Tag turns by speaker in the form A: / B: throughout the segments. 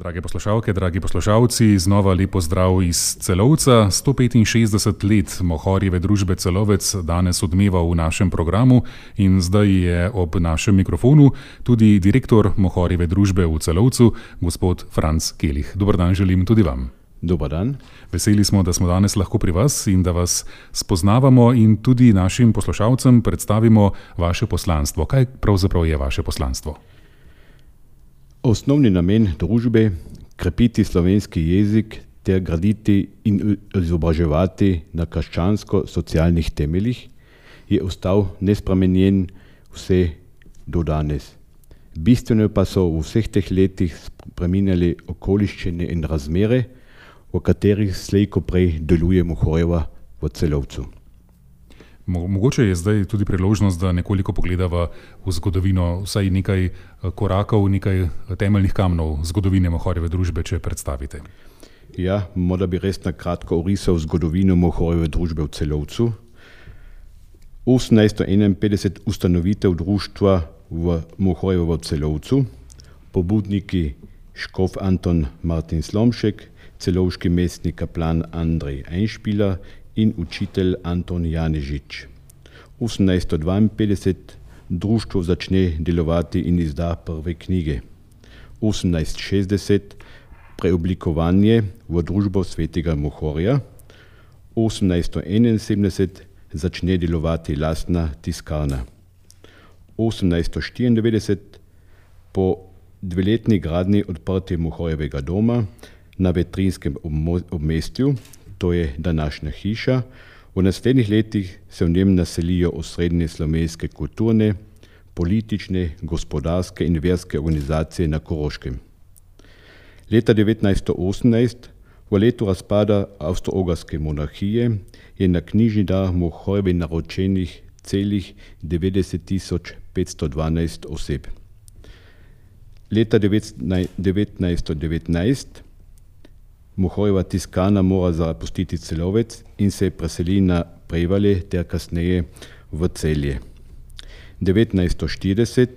A: Drage poslušalke, dragi poslušalci, znova lepo zdrav iz Celovca. 165 let Mohorjeve družbe Celovec danes odmeva v našem programu in zdaj je ob našem mikrofonu tudi direktor Mohorjeve družbe v Celovcu, gospod Franc Kelih. Dober dan želim tudi vam.
B: Dobar dan.
A: Veseli smo, da smo danes lahko pri vas in da vas spoznavamo in tudi našim poslušalcem predstavimo vaše poslanstvo. Kaj pravzaprav je vaše poslanstvo?
B: Osnovni namen družbe krepiti slovenski jezik ter graditi in izobraževati na krščansko-socialnih temeljih je ostal nespremenjen vse do danes. Bistveno pa so v vseh teh letih spreminjali okoliščine in razmere, v katerih slej ko prej deluje Mohorjeva v Celovcu.
A: Mogoče je zdaj tudi priložnost, da nekoliko pogledava v zgodovino, vsaj nekaj korakov, nekaj temeljnih kamnov zgodovine Mohorjeve družbe, če predstavite.
B: Ja, morda bi res na kratko orisal zgodovino Mohorjeve družbe v Celovcu. 1851 ustanovitev društva v Mohorjeve v Celovcu, pobudniki škof Anton Martin Slomšek, celovški mestni kaplan Andrej Einšpiler in učitelj Anton Janežič. 1852 društvo začne delovati in izda prve knjige. 1860 preoblikovanje v družbo svetega Mohorja. 1871 začne delovati lastna tiskarna. 1894 po dveletni gradnji odprtje Mohorjevega doma na Vetrinskem obmestju, to je današnja hiša. V naslednjih letih se v njem naselijo osrednje slovenske kulturne, politične, gospodarske in verske organizacije na Koroškem. Leta 1918, v letu razpada Avstro-Ogrske monarhije, je na knjižni dar Mohorjevi naročenih celih 90.512 oseb. Leta 1919 Mohorjeva tiskarna mora zapustiti Celovec in se preseli na Prevalje ter kasneje v Celje. 1940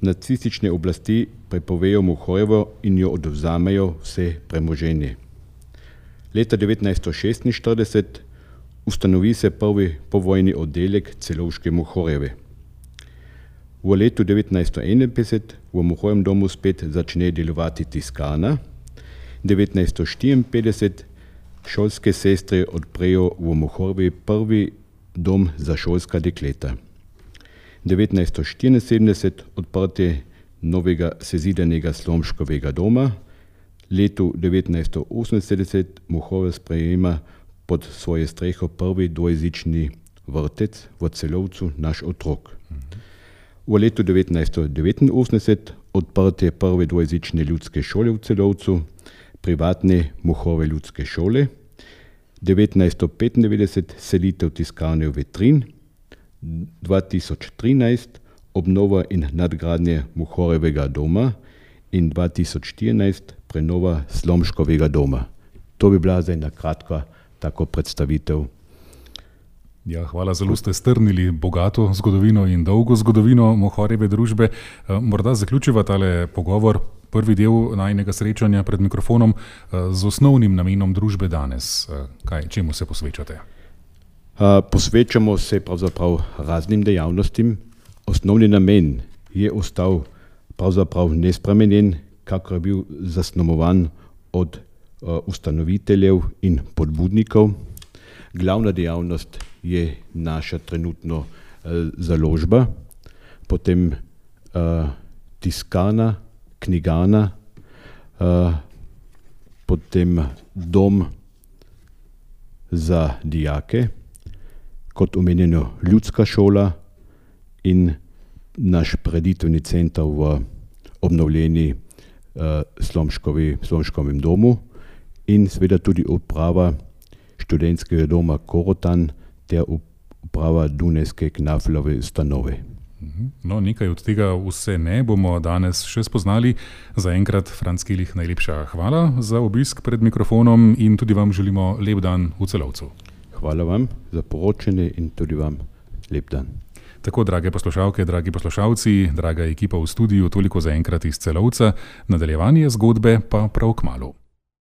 B: nacistične oblasti prepovejo Mohorjevo in jo odvzamejo vse premoženje. Leta 1946 ustanovi se prvi povojni oddelek celovške Mohorjeve. V letu 1951 v Mohorjevem domu spet začne delovati tiskarna. 1954 šolske sestre odprejo v Mohorjevi prvi dom za šolska dekleta. 1974 odprtje novega sezidanega Slomškovega doma. Letu 1978 Mohorjeva sprejema pod svoje streho prvi dvojezični vrtec v Celovcu Naš otrok. V letu 1989 odprtje prve dvojezične ljudske šole v Celovcu, privatne Mohorjeve ljudske šole. 1995 selitev tiskarne v Vetrin. 2013 obnova in nadgradnje Mohorjevega doma in 2014 prenova Slomškovega doma. To bi bila zdaj na kratko tako predstavitev.
A: Ja, hvala, zelo ste strnili bogato zgodovino in dolgo zgodovino Mohorjeve družbe. Morda zaključiva tale pogovor, prvi del najinega srečanja pred mikrofonom, z osnovnim namenom družbe danes. Čemu se posvečate?
B: Posvečamo se pravzaprav raznim dejavnostim. Osnovni namen je ostal pravzaprav nespremenjen, kakor je bil zasnovan od ustanoviteljev in podbudnikov. Glavna dejavnost je naša trenutno založba, potem tiskarna, knjigarna, potem dom za dijake, kot omenjeno ljudska šola in naš preditveni center v obnovljeni Slomškovem domu in seveda tudi uprava študentskega doma Korotan ter uprava Dunajske Knaflove ustanove.
A: No, nekaj od tega vse ne bomo danes še spoznali. Zaenkrat, Franc Kelih, najlepša hvala za obisk pred mikrofonom in tudi vam želimo lep dan v Celovcu.
B: Hvala vam za poročanje in tudi vam lep dan.
A: Tako, drage poslušalke, dragi poslušalci, draga ekipa v studiu, toliko za enkrat iz Celovca, nadaljevanje zgodbe pa prav kmalu.